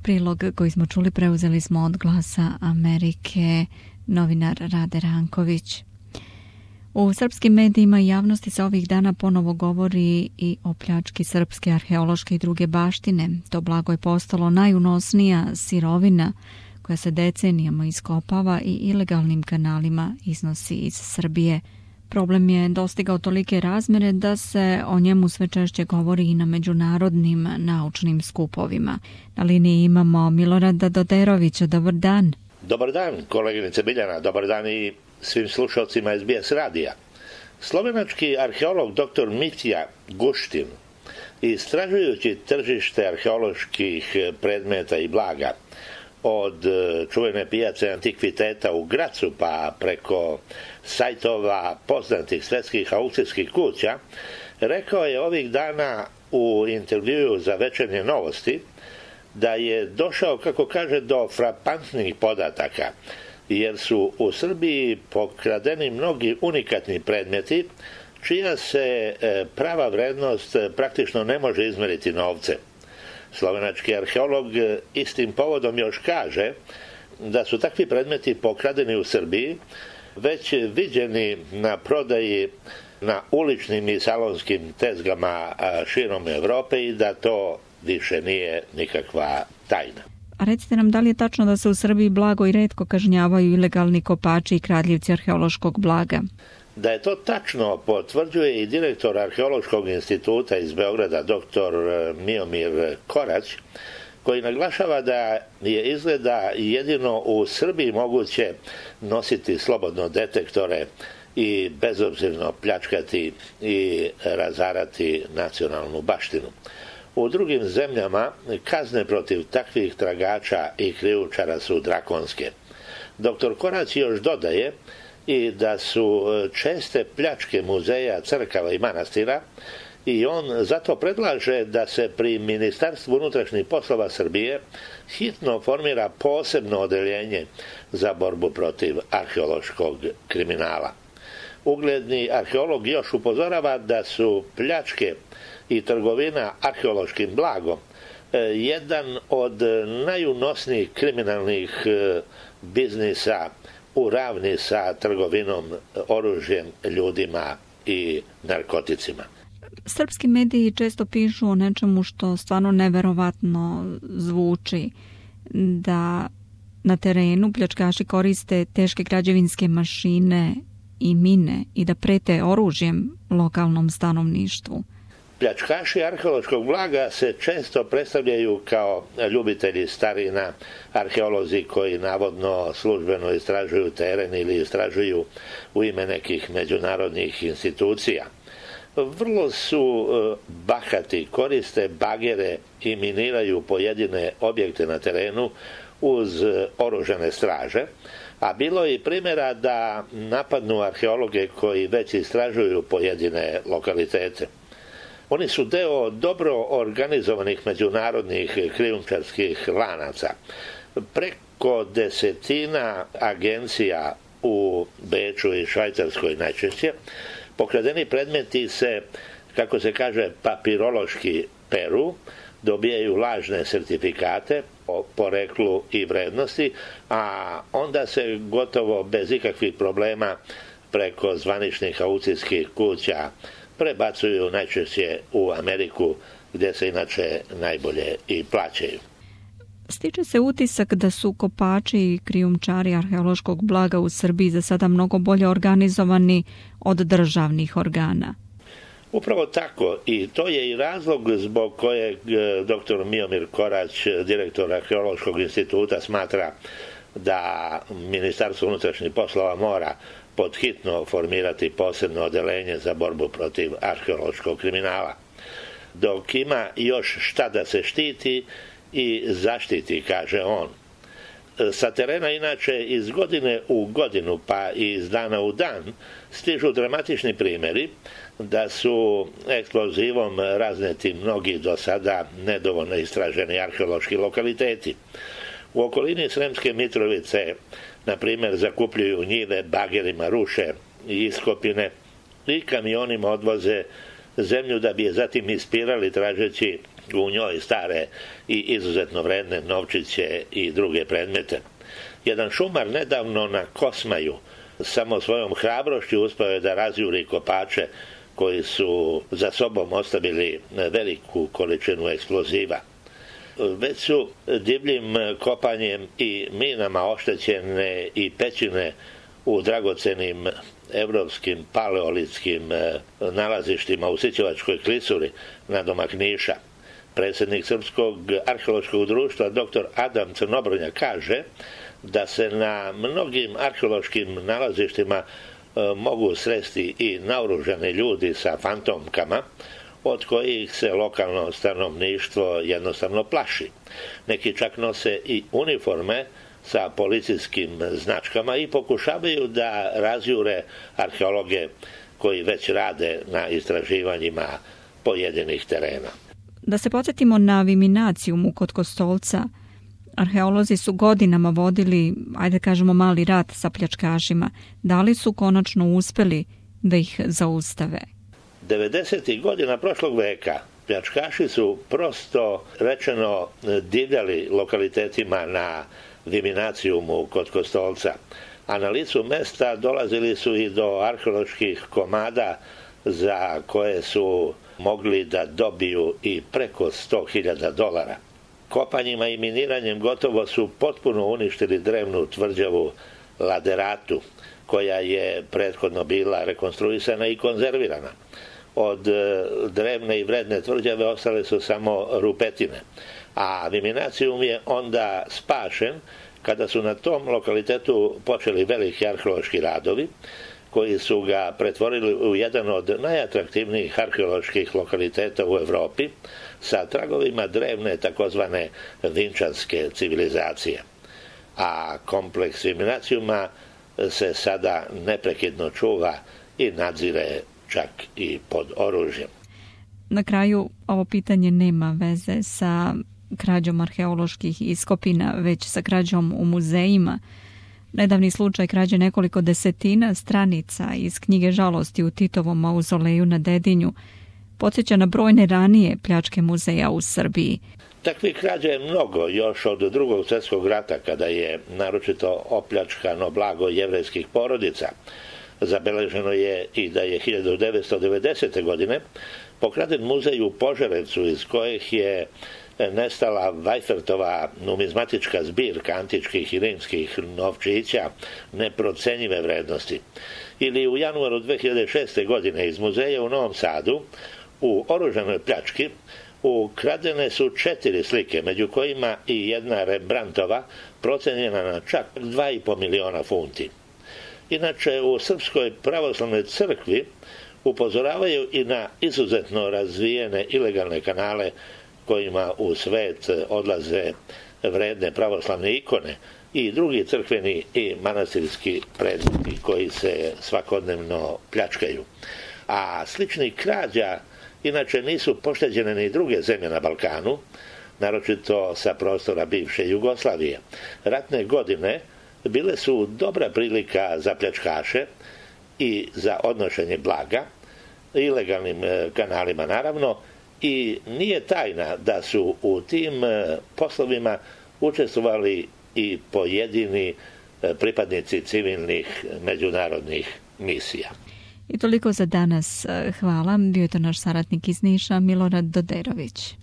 Prilog koji smo čuli preuzeli smo od Glasa Amerike, novinar Rade Ranković. U srpskim medijima i javnosti se ovih dana ponovo govori i o pljački srpske arheološke i druge baštine. To blago je postalo najunosnija sirovina koja se decenijama iskopava i ilegalnim kanalima iznosi iz Srbije. Problem je dostigao tolike razmere da se o njemu sve češće govori i na međunarodnim naučnim skupovima. Na liniji imamo Milorada Doderovića. Dobar dan. Dobar dan, koleginice Biljana. Dobar dan i svim slušalcima SBS radija. Slovenački arheolog dr. Mitja Guštin, istražujući tržište arheoloških predmeta i blaga od čuvene pijace antikviteta u Gracu pa preko sajtova poznatih svetskih aukcijskih kuća, rekao je ovih dana u intervjuu za Večernje novosti da je došao, kako kaže, do frapantnih podataka, jer su u Srbiji pokradeni mnogi unikatni predmeti čija se prava vrednost praktično ne može izmeriti novce. Slovenački arheolog istim povodom još kaže da su takvi predmeti pokradeni u Srbiji već viđeni na prodaji na uličnim i salonskim tezgama širom Evrope i da to više nije nikakva tajna. A recite nam, da li je tačno da se u Srbiji blago i retko kažnjavaju ilegalni kopači i kradljivci arheološkog blaga? Da je to tačno potvrđuje i direktor Arheološkog instituta iz Beograda, dr. Miomir Korać, koji naglašava da je izgleda jedino u Srbiji moguće nositi slobodno detektore i bezobzirno pljačkati i razarati nacionalnu baštinu. U drugim zemljama kazne protiv takvih tragača i krijumčara su drakonske. Dr. Korać još dodaje i da su česte pljačke muzeja, crkava i manastira i on zato predlaže da se pri Ministarstvu unutrašnjih poslova Srbije hitno formira posebno odeljenje za borbu protiv arheološkog kriminala. Ugledni arheolog još upozorava da su pljačke i trgovina arheološkim blagom jedan od najunosnijih kriminalnih biznisa u ravni sa trgovinom oružjem, ljudima i narkoticima. Srpski mediji često pišu o nečemu što stvarno neverovatno zvuči, da na terenu pljačkaši koriste teške građevinske mašine i mine i da prete oružjem lokalnom stanovništvu. Pljačkaši arheološkog blaga se često predstavljaju kao ljubitelji starina, arheolozi koji navodno službeno istražuju teren ili istražuju u ime nekih međunarodnih institucija. Vrlo su bahati, koriste bagere i miniraju pojedine objekte na terenu uz oružane straže, a bilo je i primjera da napadnu arheologe koji već istražuju pojedine lokalitete. Oni su deo dobro organizovanih međunarodnih krijumčarskih lanaca. Preko desetina agencija u Beču i Švajcarskoj najčešće pokradeni predmeti se, kako se kaže, papirološki peru, dobijaju lažne sertifikate o poreklu i vrednosti, a onda se gotovo bez ikakvih problema preko zvaničnih aukcijskih kuća prebacuju najčešće u Ameriku, gdje se inače najbolje i plaćaju. Stiče se utisak da su kopači i krijumčari arheološkog blaga u Srbiji za sada mnogo bolje organizovani od državnih organa. Upravo tako, i to je i razlog zbog kojeg dr. Miomir Korać, direktor Arheološkog instituta, smatra da Ministarstvo unutrašnjih poslova mora podhitno formirati posebno odeljenje za borbu protiv arheološkog kriminala. Dok ima još šta da se štiti i zaštiti, kaže on. Sa terena inače iz godine u godinu pa i iz dana u dan stižu dramatični primjeri da su eksplozivom razneti mnogi do sada nedovoljno istraženi arheološki lokaliteti. U okolini Sremske Mitrovice, na primjer, zakupljuju njive, bagerima ruše i iskopine i kamionima odvoze zemlju da bi je zatim ispirali tražeći u njoj stare i izuzetno vredne novčiće i druge predmete. Jedan šumar nedavno na Kosmaju samo svojom hrabrošću uspeo je da razjuri kopače koji su za sobom ostavili veliku količinu eksploziva. Već su divljim kopanjem i minama oštećene i pećine u dragocenim evropskim paleolitskim nalazištima u Sićevačkoj klisuri nadomak Niša. Predsjednik Srpskog arheološkog društva dr. Adam Crnobrnja kaže da se na mnogim arheološkim nalazištima mogu sresti i naoružani ljudi sa fantomkama, od kojih se lokalno stanovništvo jednostavno plaši. Neki čak nose i uniforme sa policijskim značkama i pokušavaju da razjure arheologe koji već rade na istraživanjima pojedinih terena. Da se podsjetimo na Viminacijum kod Kostolca, arheolozi su godinama vodili, ajde kažemo, mali rat sa pljačkašima. Da li su konačno uspeli da ih zaustave? 90. godina prošlog veka pljačkaši su prosto rečeno divljali lokalitetima na Viminacijumu kod Kostolca, a na licu mesta dolazili su i do arheoloških komada za koje su mogli da dobiju i preko $100.000. Kopanjima i miniranjem gotovo su potpuno uništili drevnu tvrđavu Laderatu, koja je prethodno bila rekonstruisana i konzervirana. Od drevne i vredne tvrđave ostale su samo rupetine, a Viminacijum je onda spašen kada su na tom lokalitetu počeli veliki arheološki radovi, koji su ga pretvorili u jedan od najatraktivnijih arheoloških lokaliteta u Evropi sa tragovima drevne takozvane vinčanske civilizacije. A kompleks Viminacijuma se sada neprekidno čuva i nadzire čak i pod oružjem. Na kraju, ovo pitanje nema veze sa krađom arheoloških iskopina, već sa krađom u muzejima. Nedavni slučaj krađe nekoliko desetina stranica iz knjige Žalosti u Titovom mauzoleju na Dedinju podsjeća na brojne ranije pljačke muzeja u Srbiji. Takvih krađa je mnogo još od Drugog svjetskog rata, kada je naročito opljačkano blago jevrejskih porodica. Zabeleženo je i da je 1990. godine pokraden muzej u Požarevcu, iz kojih je nestala Vajfertova numizmatička zbirka antičkih i rimskih novčića neprocenjive vrednosti. Ili u januaru 2006. godine iz muzeja u Novom Sadu u oružanoj pljački ukradene su 4 slike, među kojima i jedna Rembrandtova procenjena na čak 2,5 miliona funti. Inače, u Srpskoj pravoslavnoj crkvi upozoravaju i na izuzetno razvijene ilegalne kanale kojima u svet odlaze vredne pravoslavne ikone i drugi crkveni i manastirski predmeti koji se svakodnevno pljačkaju. A sličnih krađa inače nisu pošteđene ni druge zemlje na Balkanu, naročito sa prostora bivše Jugoslavije. Ratne godine bile su dobra prilika za pljačkaše i za odnošenje blaga, ilegalnim kanalima naravno, i nije tajna da su u tim poslovima učestvovali i pojedini pripadnici civilnih međunarodnih misija. I toliko za danas. Hvala. Bio je to naš saradnik iz Niša, Milorad Doderović.